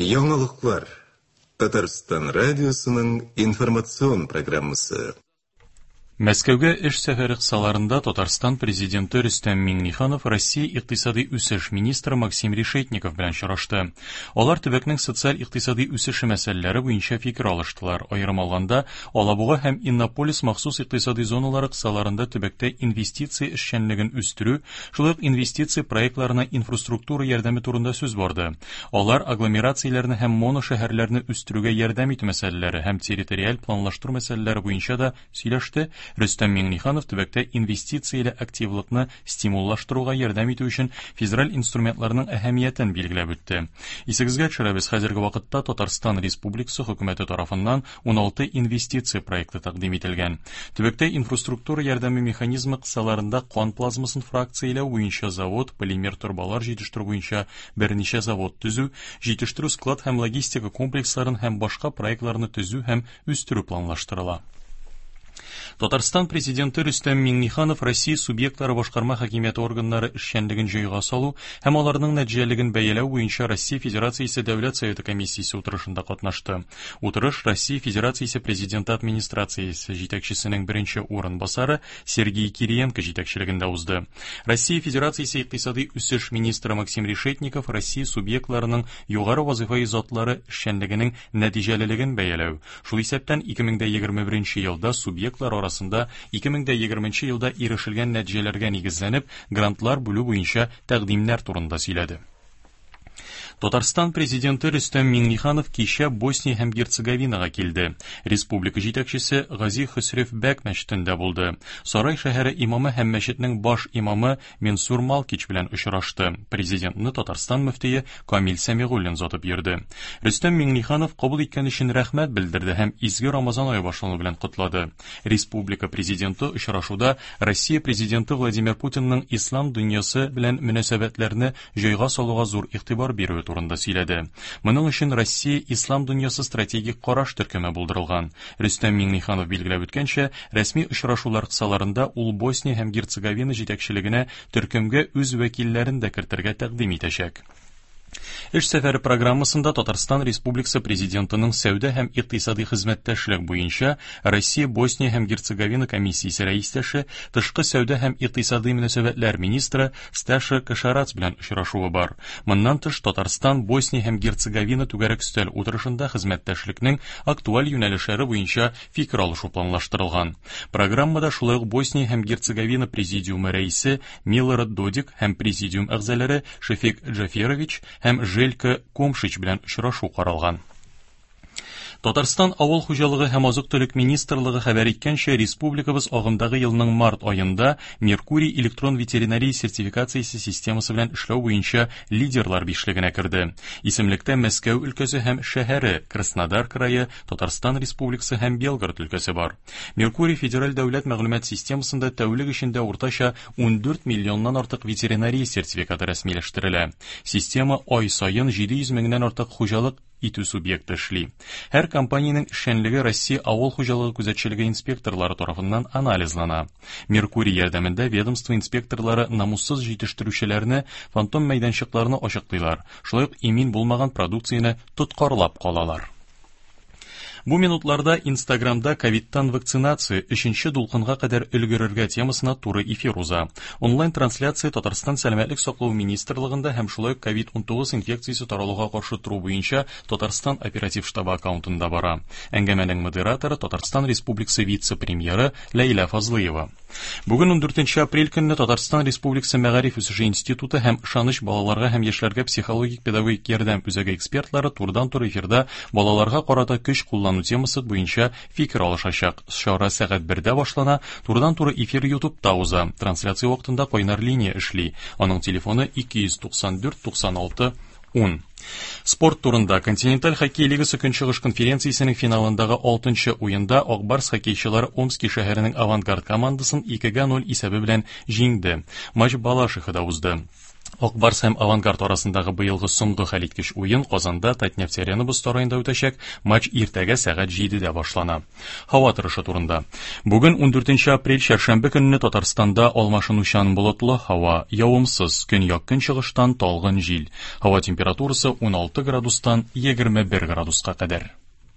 Яңалыклар. Татарстан радиосының информацион программасы. Мәскәүгә эш сәфәре кысаларында Татарстан Президенты Рөстәм Миңнеханов Россия икътисади үсеш министры Максим Решетников белән очрашты. Алар төбәкнең социаль-икътисади үсеше мәсьәләләре буенча фикер алыштылар. Аерым алганда, Алабуга һәм Иннополис махсус икътисади зоналары кысаларында төбәктә инвестиция эшчәнлеген үстерү, шулай ук инвестиция проектларына инфраструктура ярдәме турында сүз барды. Алар агломерацияләрне һәм моношәһәрләрне үстерүгә ярдәм итү мәсьәләләре һәм территориаль планлаштыру мәсьәләләре буенча да сөйләште. Рөстәм Миңнеханов төбәктә инвестицияле активлыкны стимуллаштыруга ярдәм итү өчен федераль инструментларның әһәмиятен билгеләп үтте. Исегезгә төшерәбез, хәзерге вакытта Татарстан Республикасы хөкүмәте тарафыннан 16 инвестиция проекты тәкъдим ителгән. Төбәктә инфраструктура ярдәме механизмы кысаларында кан плазмасын фракцияләү буенча завод, полимер торбалар җитештерү буенча берничә завод төзү, җитештерү склад һәм логистика комплексларын һәм башка проектларны төзү һәм үстерү планлаштырыла. Татарстан Президенты Рөстәм Миңнеханов Россия субъектлары башкарма хакимияте органнары эшчәнлеген җайга салу һәм аларның нәтиҗәлелеген бәяләү буенча Россия Федерациясе Дәүләт Советы комиссиясе утырышында катнашты. Утырыш Россия Федерациясе Президенты администрациясе җитәкчесенең беренче урынбасары Сергей Кириенко җитәкчелегендә узды. Россия Федерациясе икътисади үсеш министры Максим Решетников Россия субъектларының югары вазыйфаи затлары эшчәнлегенең нәтиҗәлелеген бәяләү, шул исәптән 2021 елда субъектлар арасында 2020 елда ирешелгән нәтиҗәләргә нигезләнеп, грантлар бүлү буенча тәкъдимнәр турында сөйләде. Татарстан президенты Рөстәм Миңнеханов кичә Босния һәм Герцеговинага килде. Республика җитәкчесе Гази Хөсрев Бәк мәчетендә булды. Сарай шәһәре имамы һәм мәчетнең баш имамы Менсур Малкич белән очрашты. Президентны Татарстан мөфтие Камил Сәмигуллин озатып йөрде. Рөстәм Миңнеханов кабул иткән өчен рәхмәт белдерде һәм изге Рамазан ае башлану белән котлады. Республика президенты очрашуда Россия президенты Владимир Путинның ислам дөньясы белән мөнәсәбәтләрне җайга салуга зур игътибар бирүе турында сөйләде. Моның өчен Россия ислам дөньясы стратегик караш төркеме булдырылган. Рөстәм Миңнеханов билгеләп үткәнчә, рәсми очрашулар кысаларында ул Босния һәм Герцеговина җитәкчелегенә төркемгә үз вәкилләрен дә кертергә тәкъдим итәчәк. Эш сәфәре программасында Татарстан Республикасы Президентының сәүдә һәм икътисади хезмәттәшлек буенча Россия, Босния һәм Герцеговина комиссиясе рәистәше, тышкы сәүдә һәм икътисади мөнәсәбәтләр министры Сташа Кашарац белән очрашуы бар. Моннан тыш, Татарстан, Босния һәм Герцеговина түгәрәк өстәл утырышында хезмәттәшлекнең актуаль юнәлешләре буенча фикер алышу планлаштырылган. Программада шулай ук Босния һәм Герцеговина президиумы рәисе Милорад Додик һәм президиум әгъзалары Шефик Джаферович һәм Желько Комшич белән очрашу каралган. Татарстан Авыл хуҗалыгы һәм азык-төлек министрлыгы хәбәр иткәнчә, республикабыз агымдагы елның март аенда Меркурий электрон ветеринария сертификациясе системасы белән эшләү буенча лидерлар бишлегенә керде. Исемлектә Мәскәү өлкәсе һәм шәһәре, Краснодар крае, Татарстан Республикасы һәм Белгород өлкәсе бар. Меркурий федераль дәүләт мәгълүмат системасында тәүлек эчендә уртача 14 миллионнан артык ветеринария сертификаты рәсмиләштерелә. Система ай саен 700 меңнән артык хуҗалык итү субъекты эшли. Һәр компаниянең эшчәнлеге Россия авыл хуҗалыгы күзәтчелеге инспекторлары тарафыннан анализлана. Меркурий ярдәмендә ведомство инспекторлары намуссыз җитештерүчеләрне, фантом мәйданчыкларны ачыклыйлар, шулай ук имин булмаган продукцияне тоткарлап калалар. Бу минутларда Инстаграмда ковидтан вакцинация өченче дулкынга кадәр өлгерергә темасына туры эфир уза. Онлайн-трансляция Татарстан Сәламәтлек саклау министрлыгында һәм шулай ук ковид-19 инфекциясе таралуга каршы тору буенча Татарстан оператив штабы аккаунтында бара. Әңгәмәнең модераторы Татарстан Республикасы вице-премьеры Ләйлә Фазлыева. Бүген 14 апрель көнне Татарстан Республикасы Мәгариф үсеше институты һәм Ышаныч балаларга һәм яшьләргә психологик педагогик ярдәм үзәге экспертлары турыдан-туры эфирда балаларга карата көч куллану темасы буенча фикер алышачак. Чара сәгать 1дә башлана, турыдан-туры эфир YouTube'та уза. Трансляция вакытында кайнар линия эшли. Аның телефоны 294 96 10. Спорт турында Континенталь хоккей лигасы Көнчыгыш конференциясенең финалындагы 6 уенда Ак Барс хоккейчылары Омски шәһәренең Авангард командасын 2-0 исәбе белән җиңде. Матч Балашихада узды. Ак Барс һәм Авангард арасындагы быелгы соңгы хәлиткеч уен Казанда Татнефть-Арена боз сараенда үтәчәк. Матч иртәгә сәгать 7-дә башлана. Һава торышы турында. Бүген 14 апрель чәршәмбе көнне Татарстанда алмашынучан болытлы һава, явымсыз, көньяк-көнчыгыштан талгын җил. Һава температурасы 16 градустан 21 градуска кадәр.